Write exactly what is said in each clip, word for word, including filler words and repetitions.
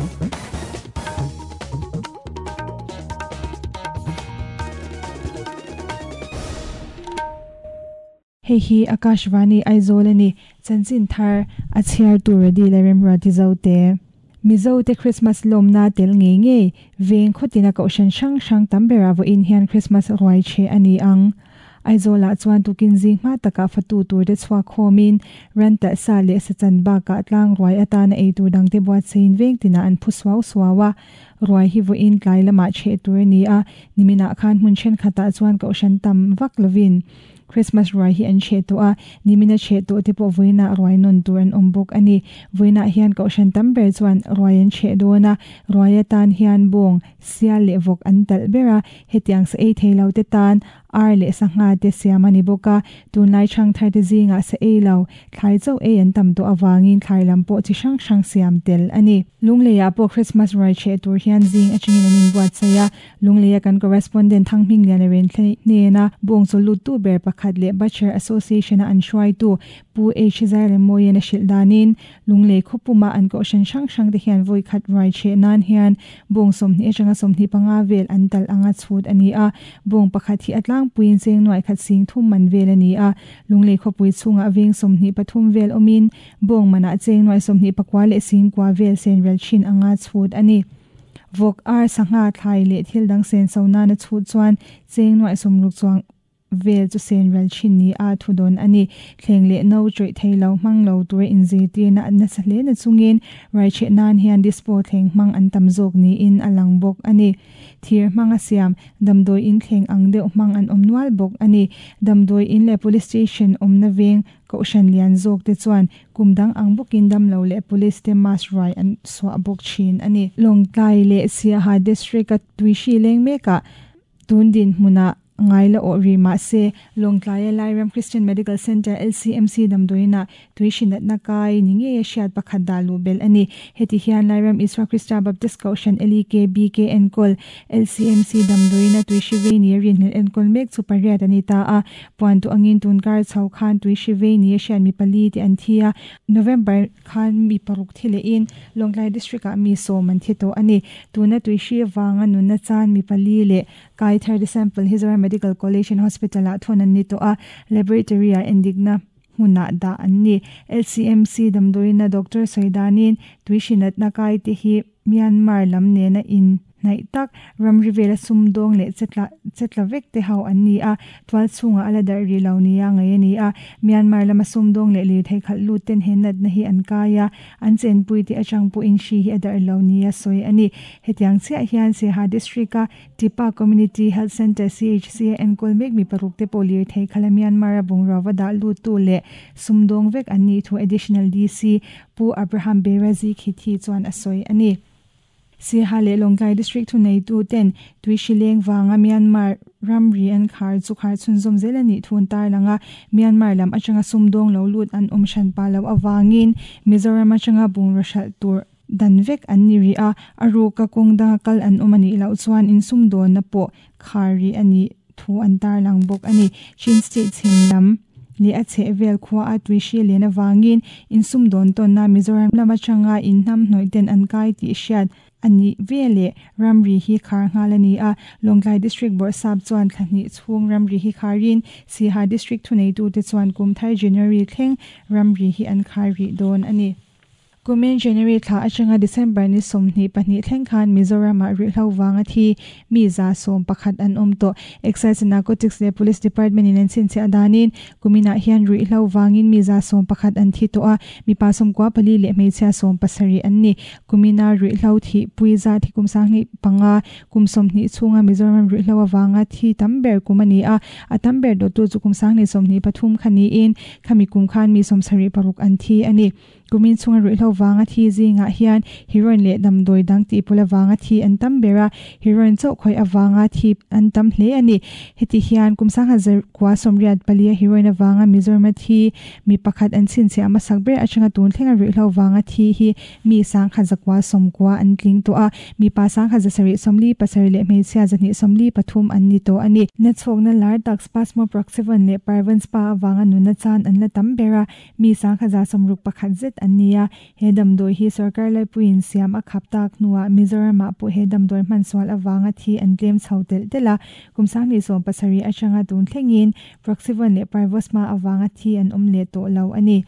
Hei hi Akashvani Aizawl ani chanchin thar a chhiar tur a dil a remruati zo te. Mizo te Christmas lawmna tel ngei ngei veng khawtina kohhran hrang hrang tam bera vawiin hian Christmas ruai che ani ang. Aizawlah chuan tukin zing hma takah fatu tur te chhuak khawmin ran talh sa leh sachan bakah tlang ruai atana ei tur dang te buatseiin veng tinah an phu suau suau a. Ruai hi vawiin tlai lamah cheh tur ani a. Niminah khan hmun thenkhatah chuan kohhran tam vak lovin Christmas ruai hi an cheh tawh a. Nimina cheh tawh te pawh vawiinah ruai nawn tur an awm bawk ani. Vawiinah hian kohhran tam ber chuan ruai an cheh dawn a. Ruai atan hian bawng, sial leh vawk an talh ber a. Hetiang sa ei thei lo te tan ar leh sangha te siam ani bawk a. Tunlai chang thar te zingah sa ei lo, thlai chauh ei an tam tawh awangin thlai lam pawh chi hrang hrang siam tel ani. Lungleiah pawh Christmas ruai cheh tur hian zing atangin an inbuatsaih a. Lungleia kan correspondent Thang Hminglian a ren hnên a. Bawng chaw lut tu ber pakhat leh Butcher Association a an hruaitu Pu H Zairemawiin a hrilh danin Lunglei khawpuma an kohhran hrang hrang te hian vawi khat ruai cheh nan hian bawng sawmhnih atanga sawmhnih panga vel an talh anga chhut ani a. Bawng pakhat hi a tlangpuiin cheng nuai khat sing thum man vel ani a. Lunglei khawpui chhungah veng sawmhnih pathum vel awmin bawng manah cheng nuai sawmhnih pakua leh singkua vel sen rel thin anga chhut ani. Vawk ar sangha thlai leh thil dang sen so nana chhut chuan cheng nuai sawmruk chuang vel chu sen rel thin ni a thu dawn ani. Thleng leh no chawih thei lo hmang lo tur inzir tirna an nasa hle na chungin ruai cheh nan hian dispo thleng hmang an tam zawk niin a lang bawk ani. Thir hmang a siam damdawi in thleng ang deuh hmang an awm nual bawk ani. Damdawi in leh police station awmna veng kohhran lian zawk te chuan kum dang ang bawkin dam lo leh police te mask ruai an suah bawk thin ani. Lawngtlai leh Siaha district a tuishi leng mekah tundin hmunah ngai la aw ri mah se Lawngtlai a Lairam Christian Medical Center L C M C damdawiinah tuishi natna kai ni ngei a hriat pakhat dah luh bel ani. Heti hian Lairam Isua Krista Baptist Kohhran L E K B K enkawl L C M C damdawiinah tuishi vei ni a rinhlelh enkawl mek chu pariat ani ta a. Puan tu angin tunkar chho khan tuishi vei ni a hriat mi pali te an thi a. November khan mi paruk thi leh in Lawngtlai district ah mi sawm an thi tawh ani. Tuna tuishi wanga nunna chan mi pali leh kai thar de sample hi Zoram Medical College and Hospital ah thon an ni tawh a. Laboratory ah endikna hmunah dah an ni. L C M C damdawiina Doctor Soidanin tuishi natna kai te hi Myanmar lam nena in hnaih tak ramri vela sumdawng leh chetla chetla vek te ho an ni a. Tual chhungah a la darh ri lo nia ngei ani a. Myanmar lama sumdawng leh lir thei khalh lut ten he natna hi an kai a. An chenpui te atang pawhin hri hi a darh lo nia sawi ani. Hetiang chiah hian Siaha district a Tipa Community Health Center C H C a enkawl mek mi paruk te pawh lir thei khala Myanmar a bungrua dah lut tu leh sumdawng vek an ni thu additional D C Pu Abraham Berazi khithi chuan a sawi ani. Siaha leh Lawngtlai district thu nei tu ten tuishi leng wanga Myanmar ramri an khar chu khar chhunzawm zel ani thun tar langa Myanmar lam atanga sumdawng lo lut an awm hran pa lo awangin Mizoram atanga bungrua hralh tur dan vek an ni ri a. A ruka kawng danga kal an awm ani loh chuan in sumdawn na pawh khar ri ani thu an tar lang bawk ani. Chin state chhim lam leh a chheh vel khua a tuishi len awangin in sumdawn tawnna Mizoram lam atanga in hnam hnawih ten an kai tih hriat ani vele ramri hi khar nghal ani a. Lawngtlai district bawrhsap chuan thlahnih chhung ramri hi kharin Siaha district thu nei tu te chuan kum thar January thleng ramri hi an khar ri dawn ani. Kumin January thla atanga December ni sawmhnih pahnih thleng khan Mizoram ah rihlo wanga thi mi za sawm pakhat an awm tawh. Excise and Narcotics leh Police Department in an chhinchhiah danin kuminah hian rihlo wangin mi za sawm pakhat an thi tawh a. Mipa sawmkua pali leh hmeichhia sawm pasarih an ni. Kumina rihlo thi pui za thi kum sanghnih panga kum sawmhnih chhunga Mizoram rihlo awanga thi tam ber kum ani a. A tam ber dawt tu chu kum sanghnih sawmhnih pathum khani in khami kum khan mi sawmsarih paruk an thi ani. Kumin chhunga rihlo wanga thi zingah hian heroin leh damdawi dang tih pawla wanga thi an tam ber a. Heroin chauh khawih awanga thi an tam hle ani. Heti hian kum sangha zar kua sawmriat pali a heroin awanga Mizoram thi mi pakhat an chhinchhiah hmasak ber atanga tun thlenga rihlo wanga thi hi mi sangha zakua sawmkua an tling tawh a. Mipa sangha zasarih sawmli pasarih leh hmeichhia zahnih sawmli pathum an ni tawh ani. Na chhawkna lar tak Spasmo Proxivon leh Parvan Spa awanga nunna chan an la tam ber a. Mi sangha za sawmruk pakhat zet an ni a. He damdawi hi sorkar laipuiin siam a khap tak hnuah Mizoramah pawh he damdawi hman sual awanga thi an tlem chho telh telh a. Kum sanghnih sawm pasarih atanga tun thlengin Proxyvon leh Parvosma awanga thi an awm leh tawh lo a ni.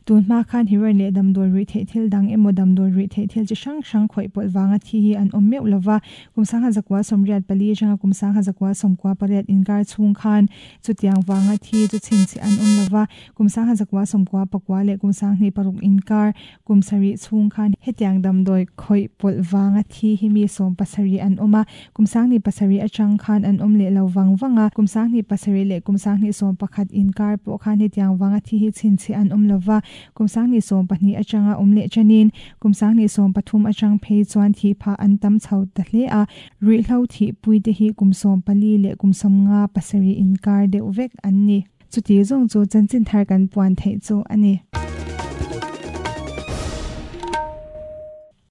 Tun hma khan heroin leh damdawi ruih theih thil dang emaw damdawi ruih theih thil chi hrang hrang khawih pawlh wanga thi hi an awm meuh lova. Kum sangha zakwa sawmriat pali atanga kum sangha zakwa sawmkua pariat inkar chhung khan chutiang wanga thi chu chhin chi an awm lova. Kum sangha zakwa sawmkua pakua leh kum sanghnih paruk inkar kum sarih chhung khan hetiang damdawi khawih pawlh wanga thi hi mi sawm pasarih an awm a. Kum sanghnih pasarih atang khan an awm leh lo wang wanga. Kum sanghnih pasarih leh kum sanghnih sawm pakhat inkar pawh khan hetiang wanga thi hi chhin chi an awm lova. Kum sanghnih sawm pahnih atanga awm leh chanin kum sanghnih sawm pathum atang phei chuan thi pha an tam chho ta hle a. Ruihhlo thi pui te hi kum sawm pali leh kum sawm nga pasarih inkar deuh vek an ni. Chuti zawng chu chanchin thar kan puan theih chu a ni.